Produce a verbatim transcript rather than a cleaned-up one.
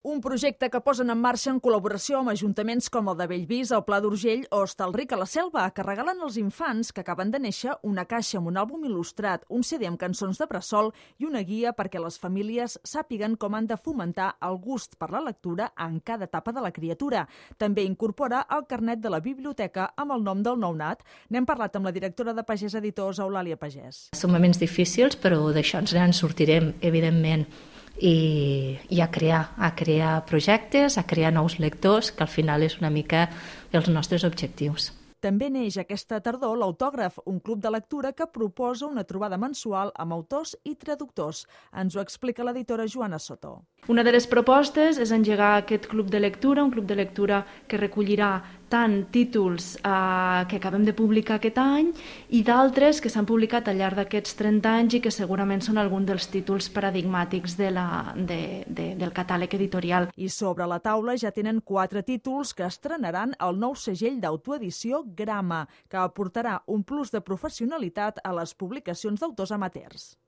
Un projecte que posen en marxa en col·laboració amb ajuntaments com el de Bellvís, el Pla d'Urgell o Hostalric a la Selva, que regalen als infants que acaben de néixer una caixa amb un àlbum il·lustrat, un C D amb cançons de bressol i una guia perquè les famílies sàpiguen com han de fomentar el gust per la lectura en cada etapa de la criatura. També incorpora el carnet de la biblioteca amb el nom del nounat. N'hem parlat amb la directora de Pagès Editors, Eulàlia Pagès. Són moments difícils, però d'això ens en sortirem, evidentment. I, i a crear, a crear projectes, a crear nous lectors, que al final és una mica els nostres objectius. També neix aquesta tardor l'Autògraf, un club de lectura que proposa una trobada mensual amb autors i traductors. Ens ho explica l'editora Joana Soto. Una de les propostes és engegar aquest club de lectura, un club de lectura que recollirà tant títols eh, que acabem de publicar aquest any i d'altres que s'han publicat al llarg d'aquests trenta anys i que segurament són alguns dels títols paradigmàtics de la, de, de, del catàleg editorial. I sobre la taula ja tenen quatre títols que estrenaran el nou segell d'autoedició Grama, que aportarà un plus de professionalitat a les publicacions d'autors amateurs.